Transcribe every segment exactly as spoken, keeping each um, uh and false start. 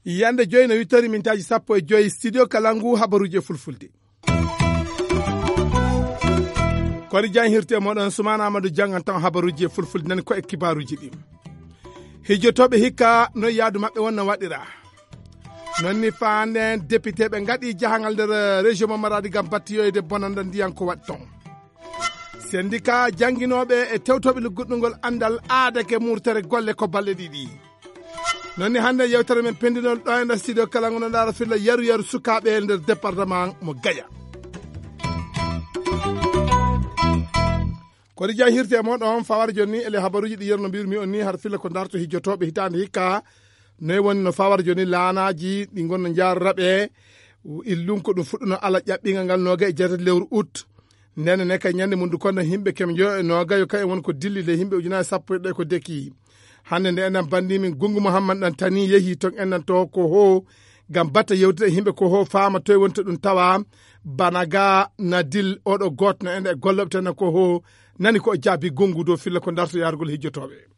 Yande joyi no wittori mintaaji sappo e joyi, studio Kalangu, habaruuji e fulfulde. Kori jan hirte moɗon, Sumana Amadou jangan tan habaruuji e fulfulde, nani ko e kibaaruuji ɗi. Hijjotooɓe hikka no yaadu maɓɓe won no waɗira. Non ni faande député ɓe ngaɗi jahangal nder région mo Maradi ngam battiyoyde bonanda ndiyan ko waɗi ton. Sendika janginooɓe e tewtooɓe lugguɗɗungol andal aadake murtere golle ko balle ɗiɗi. Non ni hannde yewtere men pendinol ɗo e nder studio Kalangu no ndaara filla yaru yaru sukaaɓe e nder département mo Gaya. Ko ɗi jahirte e moɗon fawar jonni ele habaruuji ɗi yerno mbirmi on ni har filla ko darto hijjotooɓe hitaande hikka. Noy woni no fawar jonni laanaaji ɗi ngonno njaarraɓe illun ko ɗum fuɗɗuno ala ƴaɓɓingal ngal nooga e jeetati lewru ut. Ndenne ne kay ñande mundu kono himɓe kem joyo e noogayo kay won ko dilli le himɓe ujunaaji sappo e ɗiɗi ko deki. Hannde nde enen banndi min Gungu Muhammad ɗan tani yehi ton enen to ko ho ngam batta yewtida e himɓe ko ho faama toye woni to ɗum tawa. Bana ga na dil oɗo gootno en e gollooɓe tan ko ho nani ko o jaabi Gungu dow filla ko darto yaarugol hijjotooɓe.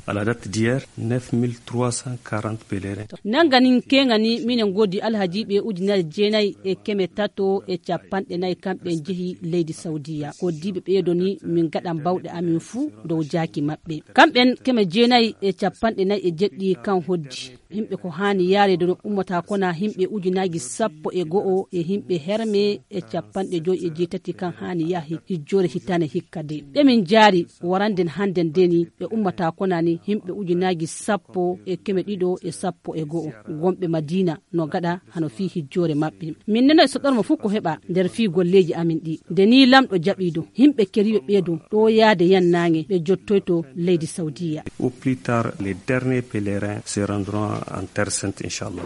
À la date d'hier, neuf mille trois cent quarante pèlerins. Nangani kengani minen godi alhajiɓe ujunere jeenayi e keme tato e capanɗe nayi kamɓe jehi leydi Saudiya. Ko diiɓe ɓeedo ni min gaɗan bawɗe amin fuu dow jaaki maɓɓe. Kamɓen keme jeenayi e capanɗe nayi e jeɗɗi kan hoddi. Himɓe ko haani yaare dono ummata kona himɓe ujunaaji sappo e go'o e himɓe herme e capanɗe joyi e jeetati kan haani yaha hijjoore hitane hikka de. Ɓe min jaari waranden handen de ni ɓe ummata kona ni himɓe ujunaaji sappo e keme ɗiɗo e sappo e go'o. Wonɓe Madina no gaɗa hano fii hijjoore maɓɓe. Min neno e soɗorma fuu ko heɓa nder fii golleeji amin ɗi. Nde ni lamɗo jaɓi ɗum, himɓe keriyo ɓeedo ɗo yaade yan naange ɓe jottoyto leydi Saudiya. Au plus tard, les derniers pèlerins se rendront en Terre Sainte, Inch'Allah.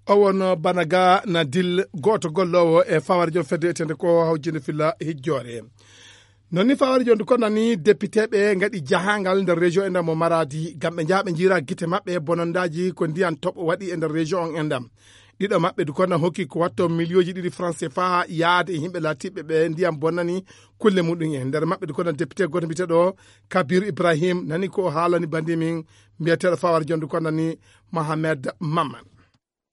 O won bana ga na dil gooto golloowo e fawar jom fedde etende ko hawjinde filla hijjoore. Non ni fawar jom ko nani député ɓe ngaɗi jahangal nder région e ndam mo Maradi ngam ɓe njaha ɓe njira gite maɓɓe bonondaaji ko ndiyan toɓo waɗi e nder région on e ndam. Ɗiɗo maɓɓe du kono hokki ko watto miliyooji ɗiɗi francs C F A yaade e yimɓe laatiɓe ɓe ndiyan bonnani kulle muɗum en. Nder maɓɓe du kono député gooto mbiyeteɗo Kabir Ibrahim nani ko o haalani bandi min mbiyeteɗo fawar jom du kono ni Mohamed Mamman.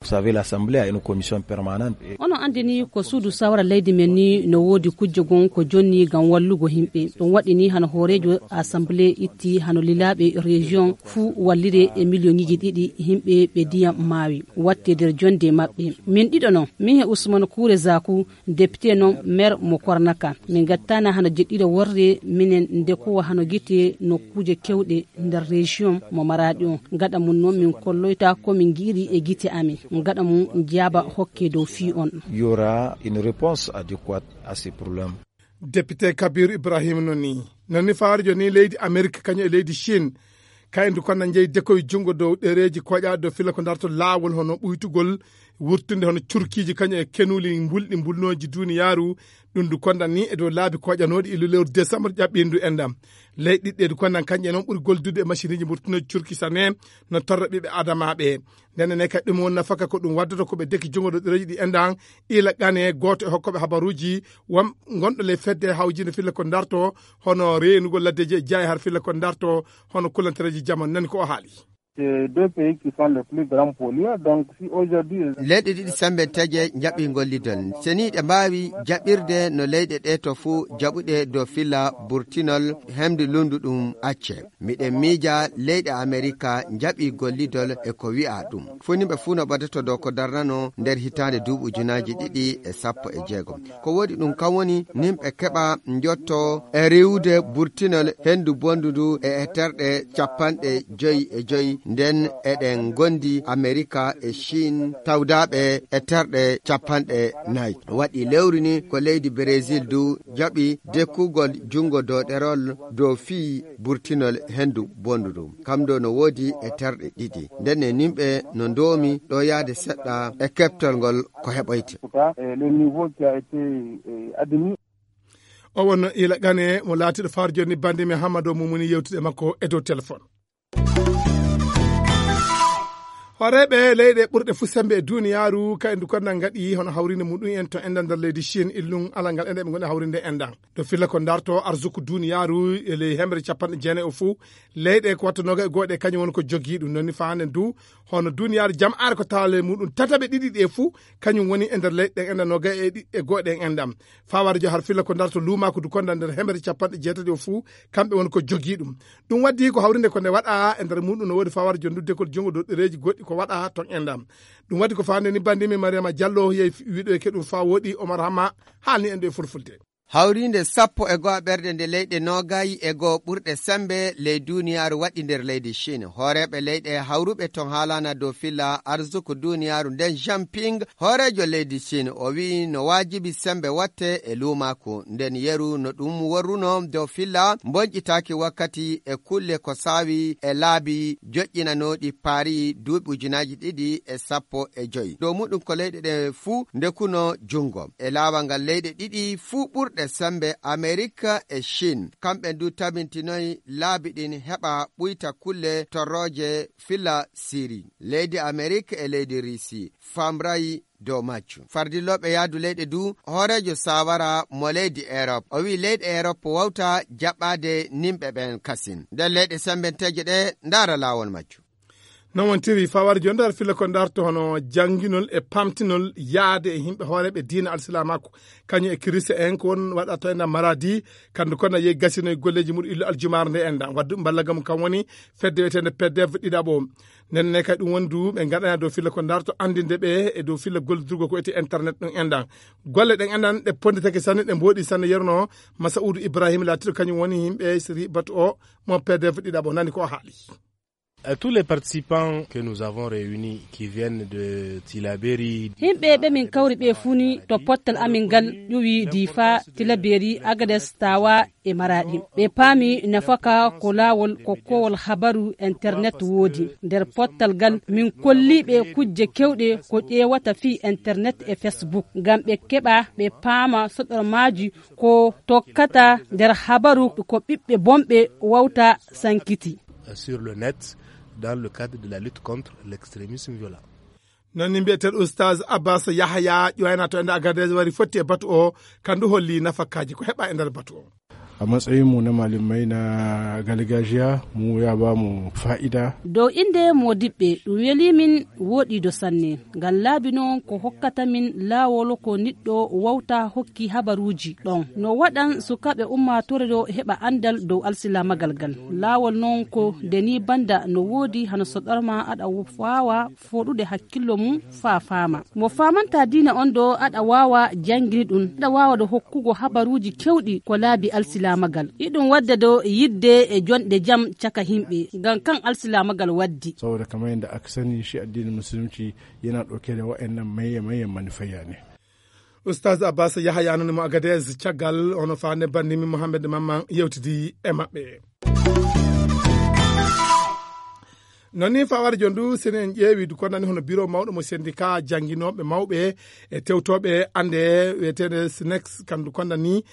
Vous savez, l'Assemblée a une commission permanente. Et ono andini ko suudu sawara leydi men ni no woodi kujje gon ko jonni ngam wallugo himɓe. Ɗum waɗi ni hano hooreejo assemblée itti hano lilaaɓe région fuu wallire e miliyoŋiji ɗiɗi himɓe ɓe ndiyam maawi watte nder jonde maɓɓe. Min ɗiɗo non, min e Usman Kure Zaku, député non maire mo Kornaka. Min gattana hano jeɗɗira worre minen nde kowa hano gite nokkuuje kewɗe nder région mo Maradi on. Gaɗa mum non min kolloyta ko min gi'iri e gite amin. Gaɗa mum jaaba hokke dow fii on. Il y aura une réponse adéquate à ces problèmes. Député Kabir Ibrahim noni. Noni fawar joni leydi Amerique kañum e leydi Chine. Kaydu kono jeyi dekoy jungo dow ɗereji koƴa dow fila ko darto laawol hono ɓuytugol wurtude hono curkiiji kañum e kenuuli mbulɗi mbulnooji duniyaaru. Ɗum ndu kondan ni e dow laabi koƴanooɗi illu lewru décembre ƴaɓɓindu enɗam. Leyɗe ɗiɗɗe du kondan kañƴe noon ɓuri goldude e machine iji mburtunoji curki sane no torra ɓiɓɓe adamaɓe. Ndenne ne kadi ɗum won nafaka ko ɗum waddata ko ɓe deki jungo ɗo ɗereji ɗi enɗan ila qane gooto e hokkoɓe habaruuji won gonɗo ley fedde hawjinde filla ko darto hono reenugol laddeji e jaayi har filla ko darto hono kulantereji jamanu nani ko o haali. C'est deux pays qui sont les plus grands pollueurs. Donc, si aujourd'hui, leyɗe ɗiɗi sembe teje jaɓi gollidol. Seni ɗe mbaawi jaɓirde no leyɗe ɗe to fuu jaɓuɗe dow filla burtinol hemde lundu ɗum acce. Miɗen miija leyɗe Amerika jaɓi gollidol e ko wi'a ɗum. Fuu nimɓe fuu no ɓadato dow ko darnano nder hitaande duuɓi ujunaaji ɗiɗi e sappo e jeegom. Ko woodi ɗum kam woni nimɓe keɓa njotto e riwude burtinol hendu bondu ndu e e terɗe capanɗe joyi e joyi. Nden eɗen gondi Amerika e Chine tawdaaɓe e terɗe capanɗe nayi. Waɗi lewru ni ko leydi Brésil du jaɓi dekkugol jungo doɗerol dow fii burtinol hendu bondu ndu. Kam do no woodi e terɗe ɗiɗi. Nden e nimɓe no ndoomi ɗo yaade seɗɗa e keptol ngol ko heɓoyte. En tout cas, eh, le niveau qui a été, eh, admis. O wonno ila qane mo laatiɗo far joni bande men Hamado Mumuni yewtude makko e dow téléphone. Hooreeɓe leyɗe ɓurɗe fuu semmbe e duniyaaru, ka endu konda ngaɗi hono hawrinde muɗum en to enɗan nder leydi Chine, illum alal ngal enɗan ɓe ngoni hawrinde enɗan. To filla ko darto arsuku duniyaaru e ley hemre capanɗe jeenayi o fuu, leyɗe ko watta noga e gooɗe kañum woni ko jogii ɗum. Noni faande ndu, hono duniyaaru jam'aare ko taale muɗum tataɓe ɗiɗi ɗe fuu, kañum woni e nder leyɗe ɗen enɗan noga e ɗi-, e gooɗe en enɗan. Fawar jo har filla ko darto luumaaku du konda nder hemre capanɗe jeetati o fuu, kamɓe woni ko jogii ɗum. Ɗum waddi ko hawrinde ko nde waɗa e nder muɗum no woodi fawar jo ndu dekol junngo dow ɗereeji goɗɗi ko waɗa ton enɗan. Ɗum waddi ko faande ni bandimi Mariama Diallo yehi wiɗo e keɗum faa woɗi Omar Hama haalni en ɗo e fulfulde. Hawriinde sappo e go'o ɓerɗe nde leyɗe noogay e go'o ɓurɗe semmbe ley duniyaaru waɗi nder leydi Chine. Hooreeɓe leyɗe hawruɓe ton haalana dow filla arsuku duniyaaru nden Jinping, hooreejo leydi Chine, o wi'i no waajibi semmbe watte e luumaaku. Nden yeru no ɗum worruno dow filla mbonƴitaaki wakkati e kulle ko saawi e laabi joƴƴinanooɗi Paris duuɓi ujunaaji ɗiɗi e sappo e joy. Dow muɗum ko leyɗe ɗe fuu ndekuno junngo. E laawal ngal leyɗe ɗiɗi fuu ɓurɗe semmbe Amerik e Chine, kamɓe du tabintinoy laabi ɗin heɓa ɓuyta kulle torrooje filla Siri. Leydi Amerik e leydi Risi famray dow majjum. Fardillooɓe yaadu leyɗe du, hooreejo saawara mo leydi Erop, o wi'i leyɗe Erop wawta jaɓɓaade nimɓe ɓen kasin. Nden leyɗe semmbenteeje ɗe ndaara laawol majjum. Non wontiri fawar jo ndar filla ko darto hono jannginol e pamtinol yaade e yimɓe hooreeɓe diina alsilaamaaku, kañum e kirista en ko won waɗa to enɗan Maradi, kandu kono yehi gasinoy golleeji muɗum illu aljumaare nde enɗan. Waddu mballagam kam woni fedde wiyeteende P D F ɗiɗaɓo. Nden ne kay ɗum woni du ɓe ngaɗana dow filla ko darto anndinde ɓe e dow filla gollidurgo ko wiyetee internet ɗum enɗan. Golle ɗen enɗan ɗe ponnditake sanne, ɗe mbooɗi sanne, yerno Masa'udu Ibrahim laatiiɗo kañum woni yimɓe siri batu o mo P D F ɗiɗaɓo, nani ko o haali. À tous les participants que nous avons réunis qui viennent de Tilaberi. Yimɓe ɓe min kawri ɓe fuu ni to pottal amin ngal ƴuwi Difa, Tilaberi, Agades, Tawa e Maradi. Ɓe paami nafaka ko laawol ko koowol habaru internet woodi. Nder pottal ngal min kolli ɓe kujje kewɗe ko ƴeewata fii internet e Facebook ngam ɓe keɓa ɓe paama soɗormaaji ko tokkata nder habaru ko ɓiɓɓe bonɓe wawta sankiti. Sur le net dans le cadre de la lutte contre l'extrémisme violent. Non ni mbiyeteeɗo Oustaz Abbas Yahaya ƴoyna to ende Agadez wari fotti e batu o, kandu holli nafakaaji ko heɓa e nder batu o. A matsayinmu na malamai na gargajiya, mu ya ba mu fa'ida. Dow innde moodiɓɓe, ɗum welii min wooɗiido sanne. Ngam laabi noon ko hokkata min laawol ko niɗɗo wawta hokki habaruuji ɗon. No waɗan sukaaɓe ummaatoore ɗo heɓa anndal dow alsilaamagal ngal. Laawol noon ko nde nii bannda no woodi hano soɗorma aɗa waawa fooɗude hakkillo mum faa faama. Mo faamantaa diina on ɗo aɗa waawa janngini ɗum, aɗa waawa ɗo hokkugo habaruuji kewɗi ko laabi alsilaamagal. Iɗum wadda ɗo yidde e jonɗe jam caka himɓe, ngam kan alsilaamagal waddi. Saboda kamar yadda aka sani shi addinin musulunci yana ɗauke da wa'annan maye-mayen manufaiya ne. Oustaz Abbas Yahaya nani mo Agadez caggal ono faande bandimi Mohamed Mamman yewtidi e maɓɓe. Non ni fawar jondu sene en ƴeewi du kondani hono biro mawɗo mo syndicat jannginooɓe mawɓe e tewtooɓe annde wiyeteende SNEX kandu kondani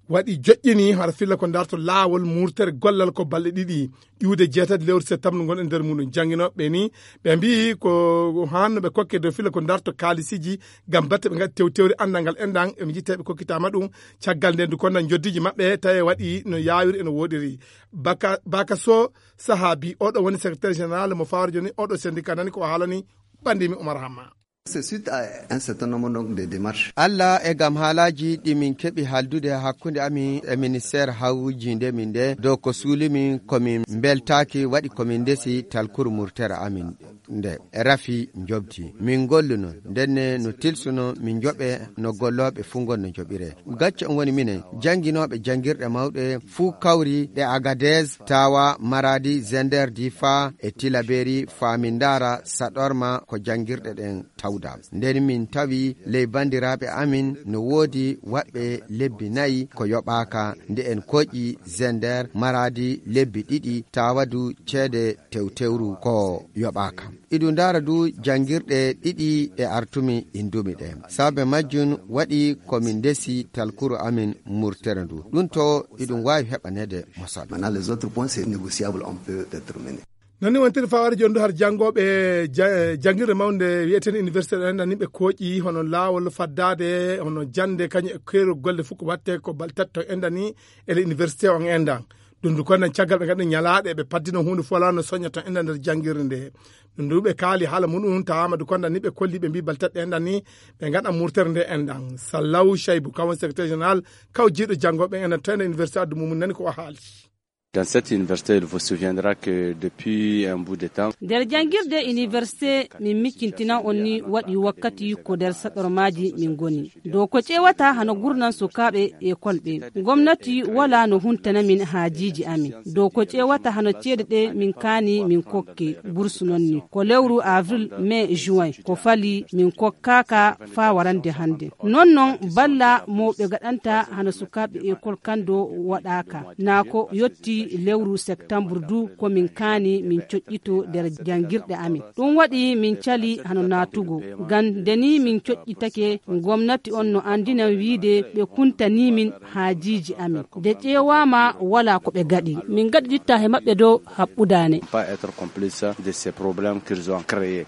waɗi joƴƴini hara filla ko darto laawol murtere gollal ko balɗe ɗiɗi iwde jeetati lewru septembre ngon e nder muɗum. Jannginooɓe ni ɓe mbiyi ko hanno ɓe kokke dow filla ko darto kaalisiji ngam batte ɓe ngaɗi tewtewri anndal ngal enɗan e jitteɓe kokkitama ɗum caggal nden du kondani joddiji maɓɓe tawi waɗi no yawiri e no woɗiri. Baka, Baka Sow Sahabi, oɗo woni secrétaire général mo Fawar joni, oɗo syndicat nani ko o haalani bandimi Oumar Hamma. C'est suite à un certain nombre donc de démarches. Alla e gam haalaaji ɗi min keɓi haaldude hakkunde amin e ministère hawjinde min nde, dow ko suuli min ko min mbeltaaki, waɗi ko min ndesi talkuru murtere amin nde rafi njobdi. Min ngolluno, ndenne no tilsuno min njoɓe no gollooɓe fuu ngon no njoɓire. Gacce on woni minen, jannginooɓe janngirɗe mawɗe fuu kawri ɗe Agadez, Tawa, Maradi, Zender, Difa e Tilaberi, faa min ndaara saɗorma ko janngirɗe ɗen tawda. Nden min tawi ley banndiraaɓe amin no woodi waɗɓe lebbi nayi ko yoɓaaka, nde en kooƴi Zender, Maradi lebbi ɗiɗi, Tawa du ceede tewtewru ko yoɓaaka. Iɗum ndaara du janngirɗe ɗiɗi ɗe artumi indumi ɗe. Saabe majjum waɗi ko min ndesi talkuru amin murtere ndu. Ɗum to iɗum waawi heɓaneede mosal. Maintenant, les autres points, c'est négociable, on peut déterminer. Noon ni wontiri fawaade jooni du har janngooɓe ja-, janngirde mawnde wiyetee université ɗo enɗan ni ɓe kooƴi hono laawol faddaade, hono jannde kañum e keerol golle fof ko waɗte ko bal tati to enɗan ni ele université on enɗan. Ɗum du konɗan caggal ɓe ngaɗi ñalaaɗe ɓe paddino huunde fof alaa no soña to enɗan nder janngirde nde. Ɗum du ɓe kaali haala muɗum tawaama du konɗan ni ɓe kolli ɓe mbii bal tati enɗan ni ɓe ngaɗa murtere nde enɗan. Sallaw Chaybu, kaw woni secrétaire général, kaw jiiɗo janngooɓe enɗan to enɗan université addu mum nani ko o haali. Dans cette université, il vous souviendra que depuis un bout de temps, nder janngirde université, min miccintinan on ni waɗi wakkati ko nder saɗormaaji min ngoni. Dow ko ƴeewata hano gurnan sukaaɓe ekol ɓe. Gomnati wala no huntana min haajiiji amin. Dow ko ƴeewata hano ceede ɗe min kaani min kokke bursu noon ni. Ko lewru avril, mai, juin. Ko fali min kokkaaka faa warande hannde. Noon noon balla mawɓe gaɗanta hano sukaaɓe ekol kan do waɗaaka. Naa ko yotti lewru septembre du ko min kaani min coƴƴito nder janngirɗe amin. Ɗum waɗi min cali hano naatugo. Ngam nde ni min coƴƴitake, gomnati on no anndinan wiide ɓe kuntanii min haajiiji amin. Nde ƴeewaama, walaa ko ɓe gaɗi. Min ngaɗiditta he maɓɓe dow haɓɓudaane. Pas être complice de ces problèmes qu'ils ont créés.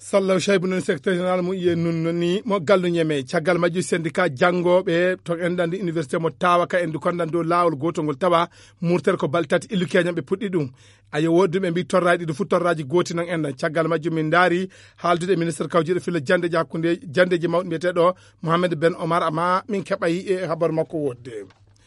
Sallaw Chaybu noon secrétaire général mo iye nun noni mo gallu ñeme. Caggal majju syndicat janngooɓe to enɗan ndi université mo tawa ka endu konɗan dow laawol gootol ngol tawa murtere ko bal tati illu keñan ɓe puɗɗi ɗum. Ayo woodduɓe mbi torraji ɗi fof torraji gooti noon enɗan. Caggal majjum min ndaari haaldude e ministre kawjiiɗo filla janndeji hakkunde janndeji mawɗi mbiyeteeɗo Mohamed Ben Omar, amma min keɓay e habaru makko woodde.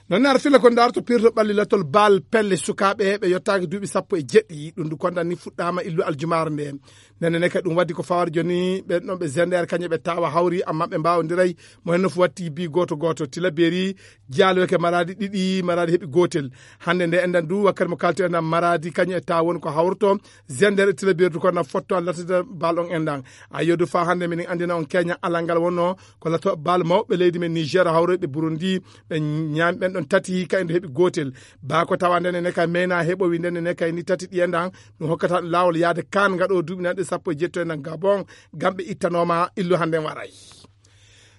Noon ne ara filla ko ndaarto pirto ɓalli latol baal pelle sukaaɓe ɓe yottaaki duuɓi sappo e jeɗɗi. Ɗum du konɗan ni fuɗɗaama illu aljumaare nde. Nene ne kay ɗum waddi ko fawaade jooni ɓen ɗon ɓe zender kañum ɓe tawa hawri amma ɓe mbawondiray mo henno fu watti bi gooto gooto. Tilaberi jaalweke maraadi ɗiɗi, maraadi heɓi gootel. Hannde nde enɗan du wakkati mo kalti enɗan maraadi kañum e tawa woni ko hawrto zender e tilaberi du konɗan fotto an lattude baal on enɗan. A yodu fa hannde minen anndina on keña alal ngal wonno ko latto baal mawɓe leydi men Niger hawroyɓe Burundi ɓe ñaami ɓen ɗon tati kay nde heɓi gootel. Baa ko tawa ndene ne kay meyna heɓowi ndene ne kay ni tati ɗi enɗan ɗum hokkata ɗum laawol yaade kan ngaɗo duuɓi nanɗe sappo e jeetto enɗan Gabon ngam ɓe ittanooma illu hannde waray.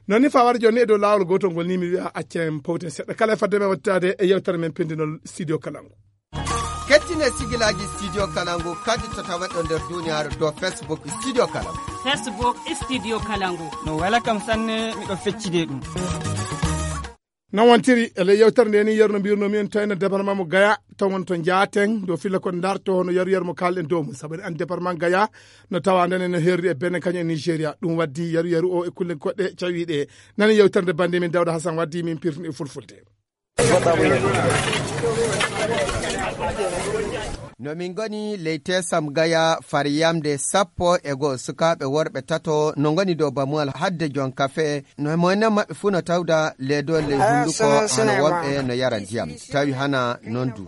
Noon ni fawade jooni e dow laawol gootol ngol ni mi wiya accen powten seɗɗa kala e fadde men wattitaade e yewtere men pendinol studio Kalangu. Kettine sigilaaji studio Kalangu kadi to tawaɗo nder duniyaaru dow Facebook studio Kalangu. Facebook studio Kalangu. No wela kam sanne miɗo feccide ɗum. Noon wontiri e ley yewtere nde ni yeru no mbirnomi en toyna département mo Gaya tawon to Jaaten dow filla ko darto hono yaru yaru mo kalɗen dow mum sabu en département Gaya no tawa nden no herri e Benin kañum e Nigeria ɗum waddi yaru yaru o e kulle goɗɗe cawiɗe. Nani yewtere nde bande min Dawda Hassan waddi min pirtini e fulfulde. No min ngoni ley tesam Gaya far yamde sappo e goo sukaaɓe worɓe tato no ngoni dow bamuwal hadde jon kafe no moynen maɓɓe fuu no tawda leedo ley hunduko hano wonɓe no yara ndiyam tawi hana non du.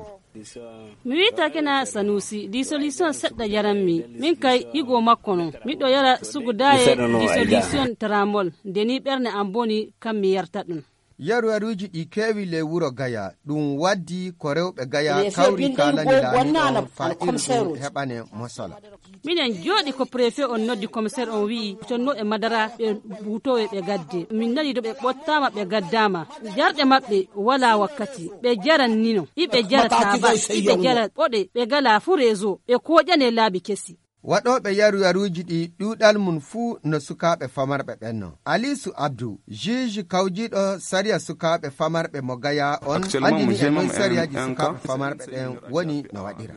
Mi wiyata kena Sanusi, dissolution seɗɗa yaranmi. Min kay higo makko non. Miɗo yara sugudaye dissolution tramol. Nde ni ɓernde am boni kam mi yarta ɗum. Yaru yaruuji ɗi keewi ley wuro Gaya. Ɗum waddi ko rewɓe Gaya kawri kaalani laamiɗo faa irdu heɓane mosola. Miɗen jooɗi ko préfet on noddi commissaire on wi'i conno e madara ɓe butowe ɓe gadde. Min nani do ɓe ɓottaama ɓe gaddaama. Jarɗe maɓɓe wala wakkati. Ɓe jaran nino. Iɓe jara taaba. Iɓe jara ɓoɗe. Ɓe gala fu réseau. Ɓe koƴane laabi kesi. Waɗooɓe yaru yaruuji ɗi ɗuuɗal mum fuu no sukaaɓe famarɓe ɓen no. Aliisu Abdu, juge kawjiiɗo sariya sukaaɓe famarɓe mo Gaya on, andini e noy sariyaaji sukaaɓe famarɓe ɓen woni no waɗira.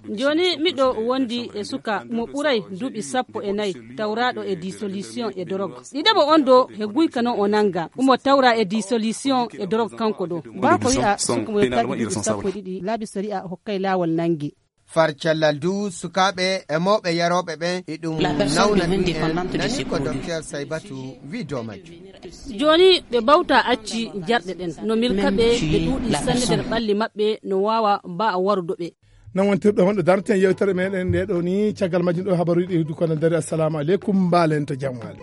Jooni miɗo wondi e suka mo ɓuray duuɓi sappo e nayi tawraaɗo e dissolution e dorog. Ɗiɗaɓo on do he guyka non o nanga umo tawra e dissolution e dorog kanko do. Baa ko wi'a suka mo yettaaki duuɓi sappo e ɗiɗi laabi sariya hokkay laawol nangi. Far cellal du sukaaɓe e mawɓe yarooɓe ɓen e ɗum nawna ɗum en nani ko docteur Saybatu wi dow majjum. Jooni ɓe bawta acci jarɗe ɗen no milka ɓe ɓe ɗuuɗi sanne nder ɓalli maɓɓe no waawa mba a warudo ɓe. Nan wontirɗo honɗo darten yewtere meɗen nde ɗo ni caggal majjum ɗo habaruji ɗi heddu kono dari assalamu aleykum mbalen to jamwali.